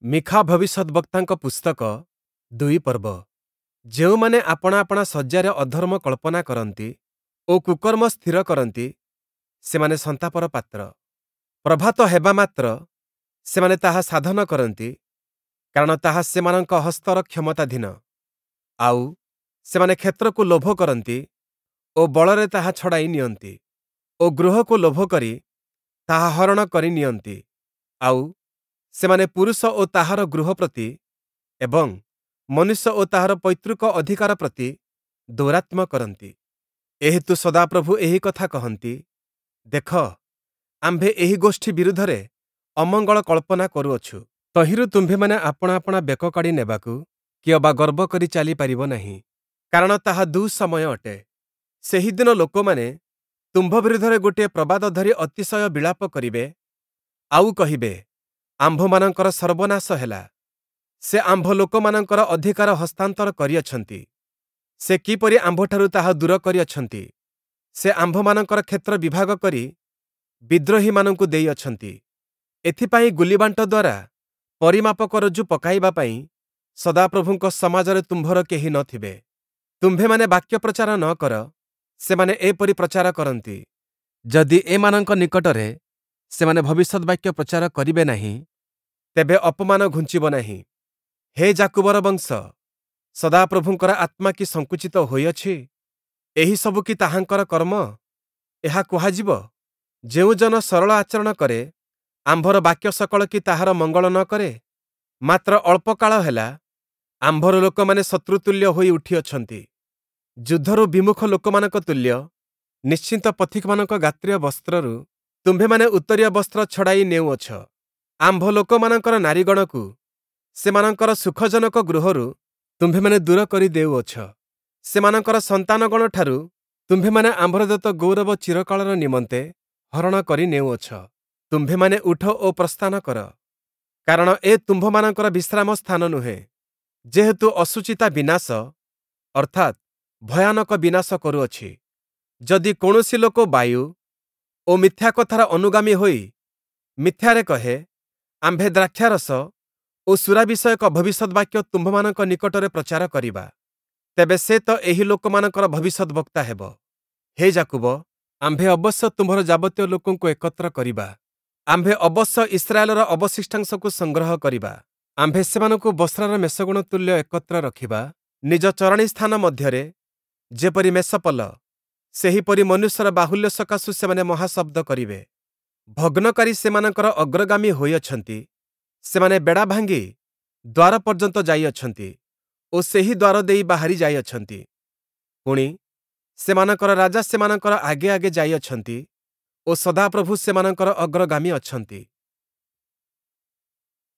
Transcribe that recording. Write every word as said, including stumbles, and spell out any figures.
ମୀଖା ଭବିଷ୍ୟଦ୍‌ବକ୍ତାଙ୍କ ପୁସ୍ତକ ଦୁଇ ପର୍ବ। ଯେଉଁମାନେ ଆପଣା ଆପଣା ଶଯ୍ୟାରେ ଅଧର୍ମ କଳ୍ପନା କରନ୍ତି ଓ କୁକର୍ମ ସ୍ଥିର କରନ୍ତି, ସେମାନେ ସନ୍ତାପର ପାତ୍ର। ପ୍ରଭାତ ହେବା ମାତ୍ର ସେମାନେ ତାହା ସାଧନ କରନ୍ତି, କାରଣ ତାହା ସେମାନଙ୍କ ହସ୍ତର କ୍ଷମତାଧୀନ। ଆଉ ସେମାନେ କ୍ଷେତ୍ରକୁ ଲୋଭ କରନ୍ତି ଓ ବଳରେ ତାହା ଛଡ଼ାଇ ନିଅନ୍ତି ଓ ଗୃହକୁ ଲୋଭ କରି ତାହା ହରଣ କରି ନିଅନ୍ତି। ଆଉ ସେମାନେ ପୁରୁଷ ଓ ତାହାର ଗୃହ ପ୍ରତି ଏବଂ ମନୁଷ୍ୟ ଓ ତାହାର ପୈତୃକ ଅଧିକାର ପ୍ରତି ଦୌରାତ୍ମ୍ୟ କରନ୍ତି। ଏହେତୁ ସଦାପ୍ରଭୁ ଏହି କଥା କହନ୍ତି, ଦେଖ, ଆମ୍ଭେ ଏହି ଗୋଷ୍ଠୀ ବିରୁଦ୍ଧରେ ଅମଙ୍ଗଳ କଳ୍ପନା କରୁଅଛୁ। ତହିଁରୁ ତୁମ୍ଭେମାନେ ଆପଣା ଆପଣା ବେକ କାଢ଼ି ନେବାକୁ କିଅବା ଗର୍ବ କରି ଚାଲିପାରିବ ନାହିଁ, କାରଣ ତାହା ଦୁଃସମୟ ଅଟେ। ସେହିଦିନ ଲୋକମାନେ ତୁମ୍ଭ ବିରୁଦ୍ଧରେ ଗୋଟିଏ ପ୍ରବାଦ ଧରି ଅତିଶୟ ବିଳାପ କରିବେ, ଆଉ କହିବେ, ଆମ୍ଭମାନଙ୍କର ସର୍ବନାଶ ହେଲା! ସେ ଆମ୍ଭ ଲୋକମାନଙ୍କର ଅଧିକାର ହସ୍ତାନ୍ତର କରିଅଛନ୍ତି। ସେ କିପରି ଆମ୍ଭଠାରୁ ତାହା ଦୂର କରିଅଛନ୍ତି! ସେ ଆମ୍ଭମାନଙ୍କର କ୍ଷେତ୍ର ବିଭାଗ କରି ବିଦ୍ରୋହୀମାନଙ୍କୁ ଦେଇଅଛନ୍ତି। ଏଥିପାଇଁ ଗୁଲିବାଣ୍ଟ ଦ୍ୱାରା ପରିମାପକ ରଜ୍ଜୁ ପକାଇବା ପାଇଁ ସଦାପ୍ରଭୁଙ୍କ ସମାଜରେ ତୁମ୍ଭର କେହି ନ ଥିବେ। ତୁମ୍ଭେମାନେ ବାକ୍ୟ ପ୍ରଚାର ନ କର, ସେମାନେ ଏପରି ପ୍ରଚାର କରନ୍ତି। ଯଦି ଏମାନଙ୍କ ନିକଟରେ ସେମାନେ ଭବିଷ୍ୟଦ୍‌ବାକ୍ୟ ପ୍ରଚାର କରିବେ ନାହିଁ, ତେବେ ଅପମାନ ଘୁଞ୍ଚିବ ନାହିଁ। ହେ ଯାକୁବର ବଂଶ, ସଦାପ୍ରଭୁଙ୍କର ଆତ୍ମା କି ସଙ୍କୁଚିତ ହୋଇଅଛି? ଏହିସବୁ କି ତାହାଙ୍କର କର୍ମ? ଏହା କୁହାଯିବ, ଯେଉଁ ଜନ ସରଳ ଆଚରଣ କରେ, ଆମ୍ଭର ବାକ୍ୟ ସକଳ କି ତାହାର ମଙ୍ଗଳ ନ କରେ? ମାତ୍ର ଅଳ୍ପ କାଳ ହେଲା, ଆମ୍ଭର ଲୋକମାନେ ଶତ୍ରୁତୁଲ୍ୟ ହୋଇ ଉଠିଅଛନ୍ତି। ଯୁଦ୍ଧରୁ ବିମୁଖ ଲୋକମାନଙ୍କ ତୁଲ୍ୟ ନିଶ୍ଚିନ୍ତ ପଥିକମାନଙ୍କ ଗାତ୍ରୀୟ ବସ୍ତ୍ରରୁ ତୁମ୍ଭେମାନେ ଉତ୍ତରୀୟ ବସ୍ତ୍ର ଛଡ଼ାଇ ନେଉଅଛ। ଆମ୍ଭ ଲୋକମାନଙ୍କର ନାରୀଗଣକୁ ସେମାନଙ୍କର ସୁଖଜନକ ଗୃହରୁ ତୁମ୍ଭେମାନେ ଦୂର କରି ଦେଉଅଛ। ସେମାନଙ୍କର ସନ୍ତାନଗଣଠାରୁ ତୁମ୍ଭେମାନେ ଆମ୍ଭର ଦତ୍ତ ଗୌରବ ଚିରକାଳର ନିମନ୍ତେ ହରଣ କରି ନେଉଅଛ। ତୁମ୍ଭେମାନେ ଉଠ ଓ ପ୍ରସ୍ଥାନ କର, କାରଣ ଏ ତୁମ୍ଭମାନଙ୍କର ବିଶ୍ରାମ ସ୍ଥାନ ନୁହେଁ। ଯେହେତୁ ଅଶୁଚିତା ବିନାଶ, ଅର୍ଥାତ୍ ଭୟାନକ ବିନାଶ କରୁଅଛି। ଯଦି କୌଣସି ଲୋକ ବାୟୁ ଓ ମିଥ୍ୟା କଥାର ଅନୁଗାମୀ ହୋଇ ମିଥ୍ୟାରେ କହେ, ଆମ୍ଭେ ଦ୍ରାକ୍ଷାରସ ଓ ସୁରା ବିଷୟକ ଭବିଷ୍ୟଦ୍‌ବାକ୍ୟ ତୁମ୍ଭମାନଙ୍କ ନିକଟରେ ପ୍ରଚାର କରିବା, ତେବେ ସେ ତ ଏହି ଲୋକମାନଙ୍କର ଭବିଷ୍ୟଦ୍‌ବକ୍ତା ହେବ। ହେ ଯାକୁବ, ଆମ୍ଭେ ଅବଶ୍ୟ ତୁମ୍ଭର ଯାବତୀୟ ଲୋକଙ୍କୁ ଏକତ୍ର କରିବା। ଆମ୍ଭେ ଅବଶ୍ୟ ଇସ୍ରାଏଲର ଅବଶିଷ୍ଟାଂଶକୁ ସଂଗ୍ରହ କରିବା। ଆମ୍ଭେ ସେମାନଙ୍କୁ ବସ୍ରାର ମେଷଗଣ ତୁଲ୍ୟ ଏକତ୍ର ରଖିବା। ନିଜ ଚରାଣୀ ସ୍ଥାନ ମଧ୍ୟରେ ଯେପରି ମେଷପଲ, ସେହିପରି ମନୁଷ୍ୟର ବାହୁଲ୍ୟ ସକାଶୁ ସେମାନେ ମହାଶବ୍ଦ କରିବେ। ଭଗ୍ନକାରୀ ସେମାନଙ୍କର ଅଗ୍ରଗାମୀ ହୋଇଅଛନ୍ତି। ସେମାନେ ବେଡ଼ା ଭାଙ୍ଗି ଦ୍ୱାର ପର୍ଯ୍ୟନ୍ତ ଯାଇଅଛନ୍ତି ଓ ସେହି ଦ୍ୱାର ଦେଇ ବାହାରି ଯାଇଅଛନ୍ତି। ପୁଣି, ସେମାନଙ୍କର ରାଜା ସେମାନଙ୍କର ଆଗେ ଆଗେ ଯାଇଅଛନ୍ତି ଓ ସଦାପ୍ରଭୁ ସେମାନଙ୍କର ଅଗ୍ରଗାମୀ ଅଛନ୍ତି।